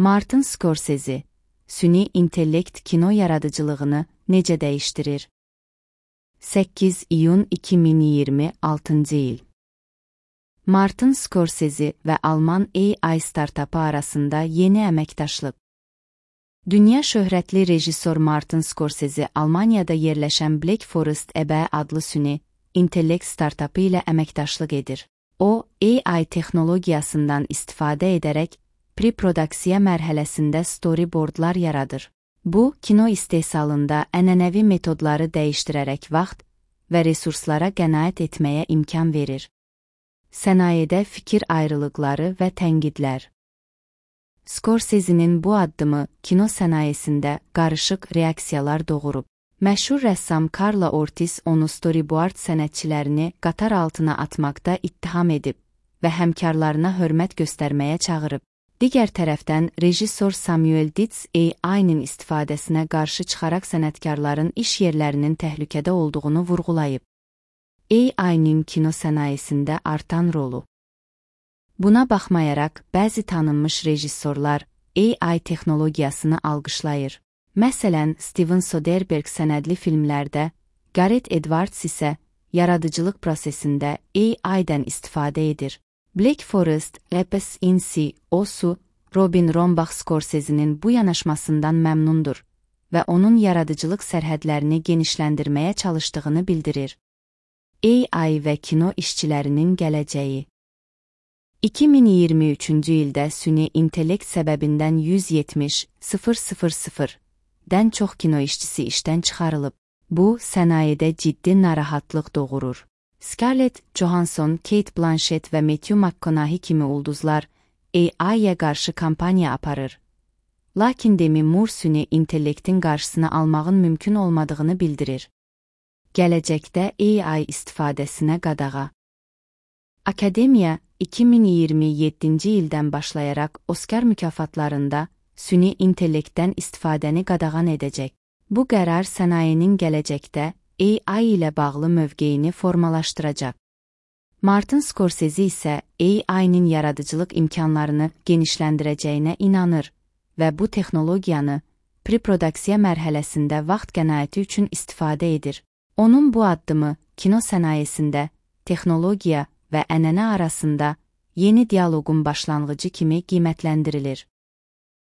Martin Scorsese, süni intellekt kino yaradıcılığını necə dəyişdirir? 8 iyun 2026 il. Martin Scorsese və Alman AI startapı arasında yeni əməkdaşlıq. Dünya şöhrətli rejissor Martin Scorsese Almaniyada yerləşən Black Forest EB adlı süni intellekt startapı ilə əməkdaşlıq edir. O, AI texnologiyasından istifadə edərək pre-produksiya mərhələsində storyboardlar yaradır. Bu, kino istehsalında ənənəvi metodları dəyişdirərək vaxt və resurslara qənaət etməyə imkan verir. Sənayedə fikir ayrılıqları və tənqidlər. Scorsese'nin bu addımı kino sənayesində qarışıq reaksiyalar doğurub. Məşhur rəssam Carla Ortiz onu storyboard sənətçilərini qatar altına atmaqda ittiham edib və həmkarlarına hörmət göstərməyə çağırıb. Digər tərəfdən, rejissor Samuel Dietz AI-nin istifadəsinə qarşı çıxaraq sənətkarların iş yerlərinin təhlükədə olduğunu vurğulayıb. AI-nin kino sənayesində artan rolu. Buna baxmayaraq, bəzi tanınmış rejissorlar AI texnologiyasını alqışlayır. Məsələn, Steven Soderbergh sənədli filmlərdə, Gareth Edwards isə yaradıcılıq prosesində AI-dən istifadə edir. Black Forest, Epes Insi, Osu, Robin Rombach Scorsese'nin bu yanaşmasından məmnundur və onun yaradıcılıq sərhədlərini genişləndirməyə çalışdığını bildirir. AI və kino işçilərinin gələcəyi. 2023-cü ildə süni intellekt səbəbindən 170.000-dən çox kino işçisi işdən çıxarılıb. Bu, sənayedə ciddi narahatlıq doğurur. Scarlett Johansson, Kate Blanchett və Matthew McConaughey kimi ulduzlar AI-yə qarşı kampaniya aparır. Lakin Demi Moore süni intellektin qarşısını almağın mümkün olmadığını bildirir. Gələcəkdə AI istifadəsinə qadağa. Akademiya, 2027-ci ildən başlayaraq Oscar mükafatlarında süni intellektdən istifadəni qadağan edəcək. Bu qərar sənayenin gələcəkdə AI ilə bağlı mövqeyini formalaşdıracaq. Martin Scorsese isə AI-nin yaradıcılıq imkanlarını genişləndirəcəyinə inanır və bu texnologiyanı pre-produksiya mərhələsində vaxt qənaəti üçün istifadə edir. Onun bu addımı kino sənayesində texnologiya və ənənə arasında yeni dialoqun başlanğıcı kimi qiymətləndirilir.